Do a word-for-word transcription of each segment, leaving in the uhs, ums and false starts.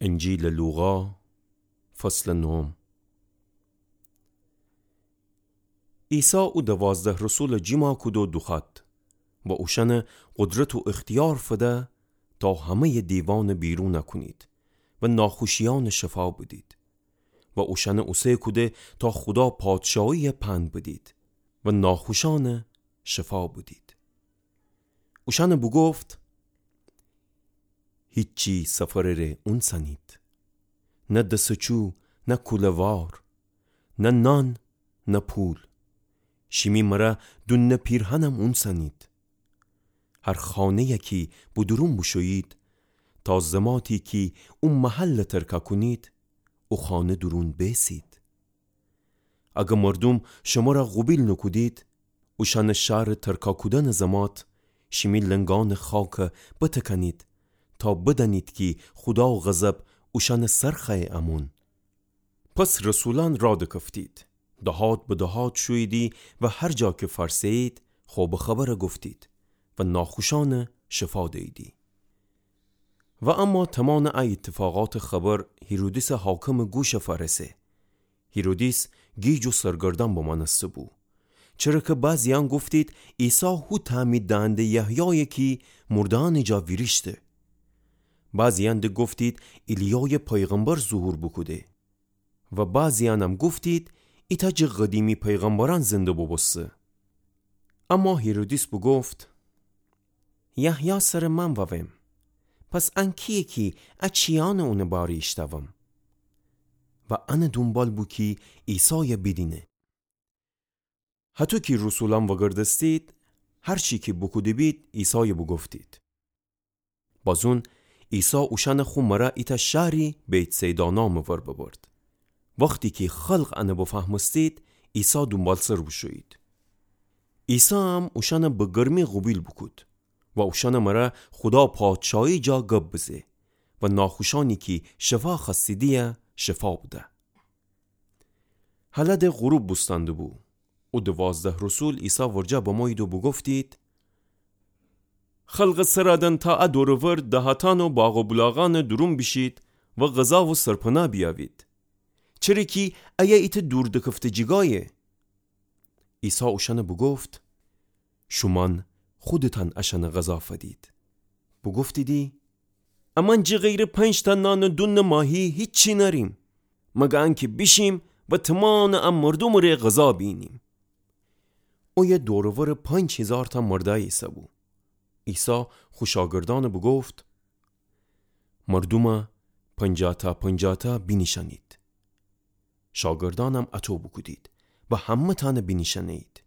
انجیلٚ لوقا، فصلٚ نهم. عیسی او دوازده رسولٚ جیما کودو دوخوأد و اوشأنٚ قدرت و اختیار فده تا همه‌یٚ دیوانٚ بیرون کونید و ناخوشیأنٚ شفا بدید و اوشأنٚ اوسه کوده تا خودا پادشاهیی پند بدید و ناخوشأنٚ شفا بدید. اوشأنٚ بوگفت: هیچی سفرٚ ره اونسأنید، نه دسچو، نه کوله‌وار، نه نان، نه پول. شیمی مرأ دونٚ پیرهنم اونسأنید. هر خانه‌یی کی به دورون بوشویید، تا زماتی کی او محلٚ ترکه کونید، او خانه دورون بیسید. اگه مردوم شمرأ قوبیل نوکودید، اوشأنٚ شهرٚ ترکه کودنٚ زمات، شیمی لنگأنٚ خاکه بتکأنید، تا بدأنید کی خودا غضب اوشأنٚ سر خوأیه امون. پس رسولأن رأ دکفتید، دهات به دهات شوییدی و هر جا کی فأرسه‌یید، خبرٚ خبر گفتید و ناخوشأنه شفا دییدی. و اما تومانٚ ا ایتفاقاتٚ خبر هیرودیسٚ حاکمٚ گوش فأرسه. هیرودیس گیج و سرگردأن بمأنسته بو، چره کی بعضیأن گفتید عیسی هو تعمید دهنده یحیایه کی مرده‌یأنٚ جا ویریشته. بعضیأن ده گفتید ایلیایٚ پیغمبر ظهور بوکوده. و بعضیأنم گفتید ایتأ جٚه قدیمی پیغمبرأن زنده بوبوسته. اما هیرودیس بوگفت: یحیی سرٚ من وأوم، پس ان کییه کی ا چیأنه اونٚ باره ایشتأوم؟ و انٚ دونبال بو کی عیسای بیدینه. هطو کی رسولأن وأگردستید، هر چی کی بوکوده‌بید عیسای بوگفتید. بازون عیسی اوشأنٚ خو مرأ ایتأ شهری بیت‌صیدا نامٚ ور ببرد. وختی کی خلق انه بفهمستید، عیسی دونبالسر بوشویید. عیسی هم اوشأنه به گرمی قوبیل بوکود و اوشأنٚ مرأ خودا پادشاهی جا گب بزه و ناخوشأنی کی شفا خوأستیدی‌یه شفا بده. هلأ ده غروب بوستأنده بو. او دوازده رسول عیسی ورجه بمویید و بوگفتید: خلقٚ سرأ دن تا ا دور و ور دهاتأن و باغ و بولاغأنٚ دورون بیشید و غذا و سرپنا بیأوید، چره کی ایه ایتأ دور دکفته جیگایه. عیسی اوشأنه بوگفت: شومأن خودتأن اشأنه غذا فدید. بوگفتیدی: امأن جٚه غیرٚ پنج‌تأ نان و دونٚ ماهی هیچی نأریم، مگه انکی بیشیم و تومانٚ ا مردومٚ ره غذا بیینیم. اویه دور و ورٚ پنج هیزارتأ مردأی ایسه‌بو. عیسی خو شاگردأنه بوگفت: مردومه پنجاه‌تأ پنجاه‌تأ بینیشأنید. شاگردأنم اطو بوکودید و همه‌تأنه بینیشأنه‌یید.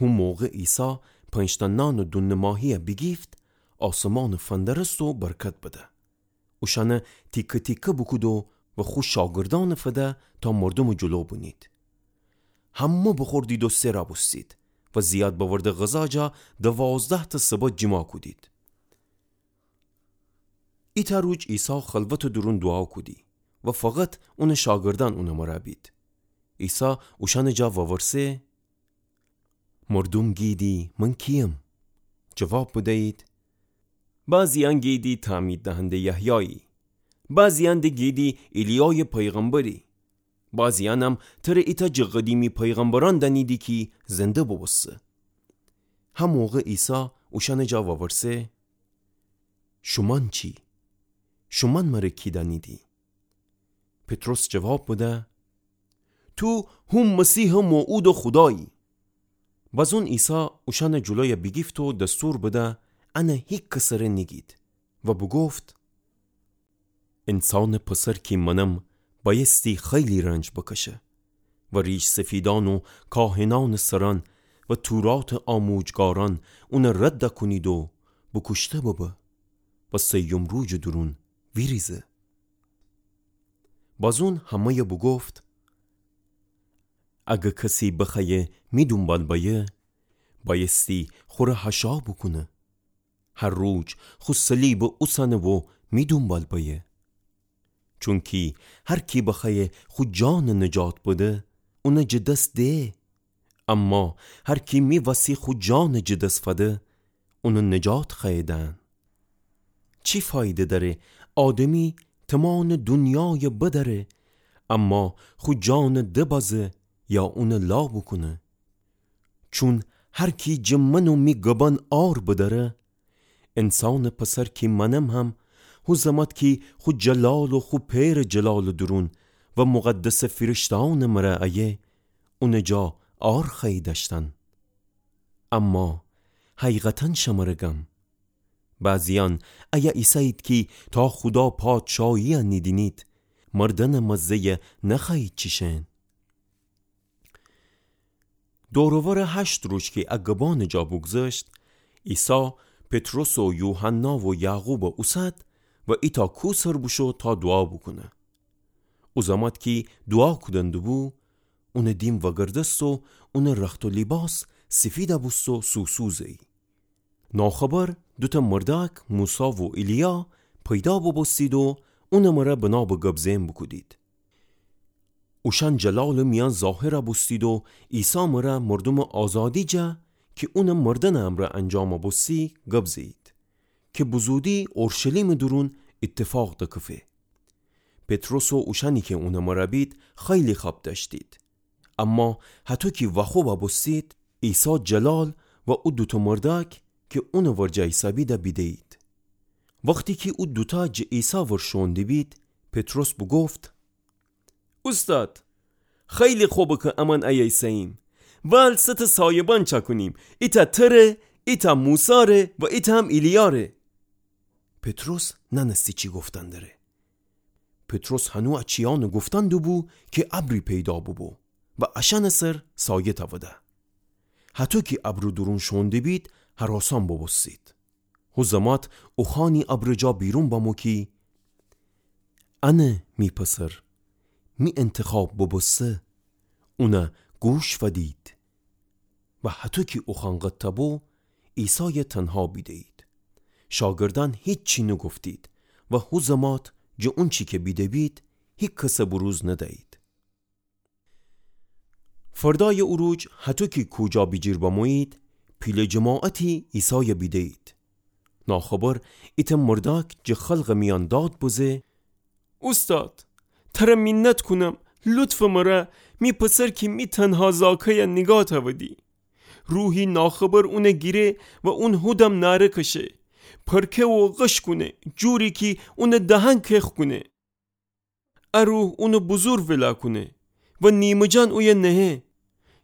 هو موقع عیسی پنج‌تأ نان و دونٚ ماهی‌یه بیگیفت، آسمانٚ فندرست و برکت بده. اوشأنه تیکه تیکه بوکودو و خو شاگردأنٚ فده تا مردومٚ جلو بنید. همه بوخوردید و سئرا بوستید و زیاد بأورده غذا جا دوازده‌تأ سبد جیما کودید. ایتأ روج عیسی خلوتٚ دورون دوعا کودی و فقط اونٚ شاگردأن اونٚ مرأ بید. عیسی اوشأنٚ جا وورسه: مردوم گیدی من کییم؟ جواب بدیید: بعضیأن گیدی تعمید دهنده یحیایی، بعضیأن ده گیدی ایلیایٚ پیغمبری، بعضیأنم تره ایتأ جٚه قدیمی پیغمبرأن دأنیدی کی زنده بوبوسته. هموقع عیسی اوشأنٚ جا وورسه: شومأن چی؟ شومأن مره کی دأنیدی؟ پطرس جواب بده: تو هو مسیحٚ موعودٚ خودایی. بازون عیسی اوشأنٚ جلویه بیگیفت و دستور بده انه هیکسٚ سره نیگید و بوگفت: انسانٚ پسر کی منم، بأیستی خیلی رنج بکشه و ریش‌سفیدأن و کاهنأنٚ سرأن و توراتٚ آموجگارأن اونه رد کونید و بوکوشته ببه و سیوم روجٚ دورون ویریزه. بازون همه‌یه بوگفت: اگه کسی بخوأیه می دونبال بأیه، بأیستی خوره حشا بوکونه. هر روج خو صلیبه اوسأنه و می دونبال بأیه. چونکی هر کی بخوأیه خو جانه نجات بده، اونه جٚه دس ده. اما هر کی می وسی خو جانه جٚه دس فده، اونه نجات خوأیه دأن. چی فایده دأره آدمی تمامٚ دونیایَ بدأره، اما خو جانَ دبازه یا اونَ لا بوکونه. چون هر کی جٚه من و می گبأن عار بدأره، انسانٚ پسر کی منم هم، هو زمات کی خو جلال و خو پئرٚ جلالٚ دورون و مقدسٚ فیرشته‌یأنٚ مرا ایه، اونٚ جا عار خوأیی دأشتن. اما حقیقتا شمره گم، بعضیأن ایه ایسه‌یید کی تا خودا پادشاهی‌یَ نیدینید، مردنٚ مزه‌یَ نخوأیید چیشن. دور و ورٚ هشت روز کی ا گبانٚ جا بوگذشت، عیسی پطرس و یوحنا و یعقوبَ اوسد و ایتأ کوه سر بوشو تا دوعا بوکونه. او زمات کی دوعا کودن دوبو، اونٚ دیم وگردست و اونٚ رخت و لیباس سیفیدَ بوست و سوسو زه‌یی. ناخبر دوتأ مردأک، موسی و ایلیا، پیدا بوبوستید و اونٚ مرا بنابٚ گب زئن بوکودید. اوشأن جلالٚ میأن ظاهرَ بوستید و عیسی مرا مردومٚ آزادی جا کی اونٚ مردنٚ امرأ انجامَ بوستی گب زه‌یید کی بزودی اورشلیمٚ دورون ایتفاق دکفه. پطرس و اوشأنی کی اونٚ مرا بید خیلی خب دأشتید. اما هطو کی واخوبَ بوستید، عیسی جلال و او دوتأ مردأک کی اونٚ ورجه ایسه‌بیدَ بیده‌یید. وختی کی او دوتأ جٚه عیسی ور شوئون دیبید، پطرس بوگفت: اوستاد، خیلی خوبه کی امأن ایه ایسه‌ییم. وال سه تأ سایبان چأکونیم، ایتأ تره، ایتأ موسی‌ره و ایتأ هم ایلیاره. پطرس نأنستی چی گفتن دره. پطرس هنو ا چیأنَ گفتن دوبو کی ابری پیدا بوبو و اشأنٚ سر سایه تأوده. هطو کی ابرٚ دورون شوئون دیبید، هراسأن بوبوستید. هو زمات اوخوأنی ابرٚ جا بیرون بمو کی: انه می پسر، می انتخاب بوبوسته، اونَ گوش فدید. و هطو کی اوخوأن قطع بو، عیسایَ تنها بیده‌یید. شاگردأن هیچی نوگفتید و هو زمات جٚه اونچی کی بیده‌بید، هیکسَ بروز ندأیید. فردأیٚ او روز هطو کی کوجا بیجیر بمویید، پیله جماعتی عیسایَ بیده‌یید. ناخبر ایتأ مردأک جٚه خلقٚ میأن داد بزه: اوستاد، تره مینت کونم، لطفٚ مره، می پسر کی می تنها زاکه‌یَ نیگاه تأودی. روحی ناخبر اونَ گیره و اون هودم نأره کشه، پرکه و غش کونه، جوری کی اونٚ دهن کخ کونه. ا روح اونَ بزور ولا کونه و نیمه‌جان اویه نهه.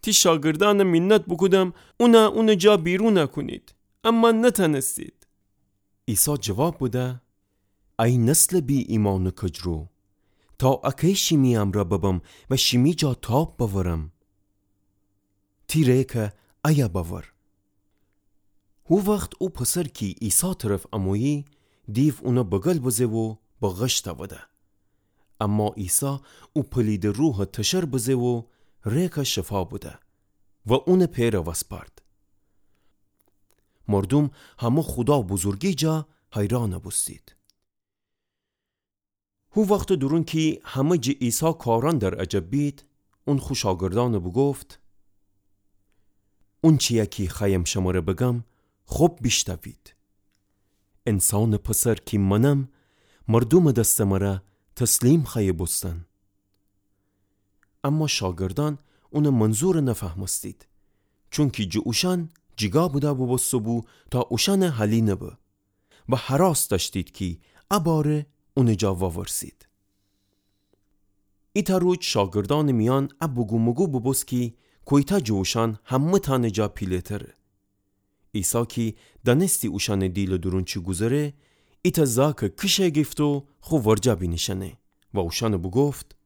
تی شاگردأنَ مینت بوکودم اونَ اونٚ جا بیرونَ کونید، اما نتأنستید. عیسی جواب بده: ای نسلٚ بی‌ایمأنٚ کجرو، تا اکی شیمی امرأ ببم و شیمی جا تاب بأورم؟ تی ریکَ ایه بأور. هو وخت او پسر کی عیسی طرف امویی، دیو اونَ بگل بزه و به غش تأوده. اما عیسی او پلیدٚ روحَ تشر بزه و ریکَ شفا بده و اونٚ پئرَ وسپارد. مردوم همه خودا بزرگی جا حیرانَ بوستید. هو وختٚ دورون کی همه جٚه عیسی کارأن در عجب بید، اون خو شاگردأنَ بوگفت: اونچی‌یَ کی خوأیم شمره بگم، خب بیشتوید. انسانٚ پسر کی منم، مردومٚ دستٚ مره تسلیم خوأیه بوستن. اما شاگردأن اونٚ منظورَ نفهمستید، چونکی جٚه اوشأن جیگاه بوده بوبوسته‌بو تا اوشأنَ حالی نبه و هراس دأشتید کی ا باره اونٚ جا وورسید. ایتأ روز شاگردأنٚ میأن ا بگومگو بوبوست کی کویتأ جٚه اوشأن همه‌تأنٚ جا پیله‌تره. عیسی کی دأنستی اوشأنٚ دیلٚ دورون چی گوذره، ایتأ زاکَ کیشه گیفت و خو ورجه بینیشأنه و اوشأنَ بوگفت: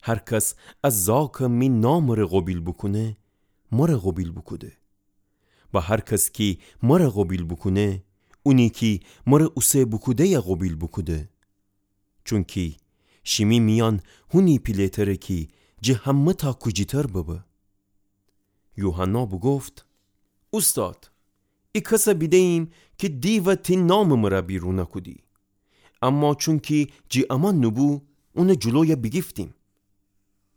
هر کس ا زاکَ می نامٚ ره قوبیل بوکونه، مره قوبیل بوکوده. و هر کس کی مره قوبیل بوکونه، اونی کی مره اوسه بوکوده‌یَ قوبیل بوکوده. چونکی شیمی میأن هونی پیله‌تره کی جٚه همه‌تأ کوجی‌تر ببه. یوحنا بوگفت: اوستاد، ای کسَ بیده‌ییم کی دیوَ تی نامٚ مره بیرونَ کودی. اما چونکی جٚه امأن نوبو، اونٚ جلویَ بیگیفتیم.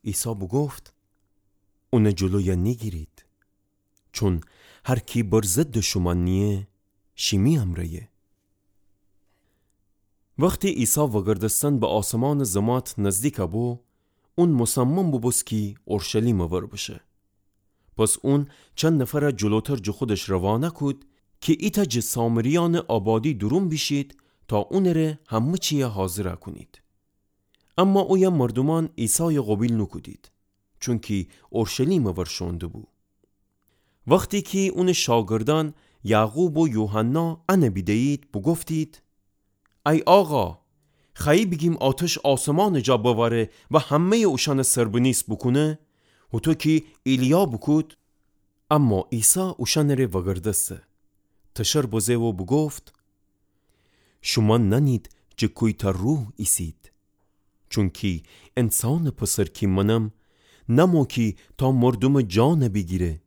عیسی بوگفت: اونٚ جلویَ نیگیرید. چون هر کی بر ضدٚ شومأن نییه، شیمی امرأیه. وختی عیسی وگردستن به آسمانٚ زمات نزدیک بو، اون مصمم بوبوست کی اورشلیمٚ ور بشه. پس اون چند نفر جلوتر جٚه خودش روانه کود کی ایتأ جٚه سامریأنٚ آبادی دورون بیشید تا اونٚ ره همه چیه حاضر کونید. اما اویه مردومأن عیسای قوبیل نوکودید، چونکی اورشلیمٚ ور شوئون دبو. وختی کی اونٚ شاگردأن یعقوب و یوحنا انه بیدهیید، بوگفتید: ای آقا، خوأیی بیگیم آتش آسمانٚ جا بوأره و همه‌یٚ اوشأنه سربنیست بوکونه، هوطو کی ایلیا بوکود؟ اما عیسی اوشأنٚ ره وگردسته، تشر بزه و بوگفت: شومأن نأنید جٚه کویتأ روح ایسید. چونکی انسانٚ پسر کی منم، نمو کی تا مردومٚ جانه بیگیره،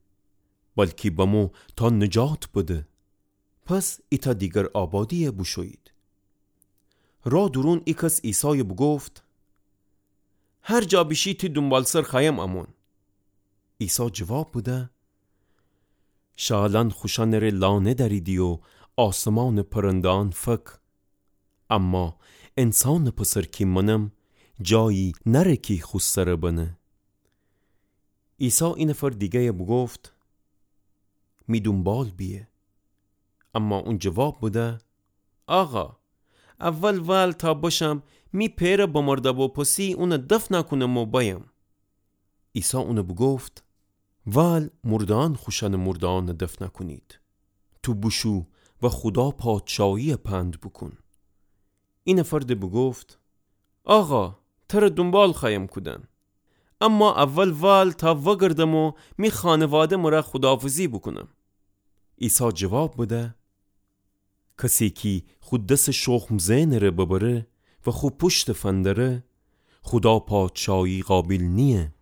بلکی بمو تا نجات بده. پس ایتأ دیگر آبادیه بوشویید. را دورون ایکس عیسای بوگفت: هر جا بیشی تی دونبالسر خوأیم امون. عیسی جواب بده: شعلأن خوشأنٚ ره لانه دأریدی و آسمانٚ پرنده‌أن فک، اما انسانٚ پسر کی منم، جایی نأره کی خو سر بنه. عیسی اینفر دیگه‌یه بوگفت: می دونبال بیه. اما اون جواب بده: آقا، اول وال تا بشم می پئرٚ بمرده بو پسی اونه دفن کونم و بأیم. عیسی اونه بوگفت: وال مرده‌أن خوشأنٚ مرده‌أنه دفن کونید. تو بوشو و خودا پادشاهییه پند بوکون. اینفر ده بوگفت: آقا، تره دونبال خوأیم کودن، اما اول وال تا وگردم و می خانواده مره خوداحافظی بوکونم. عیسی جواب بده: کسی کی خو دسٚ شخم زئنٚ ره ببره و خو پوشته فندره، خودا پادشاهی قابیل نییه.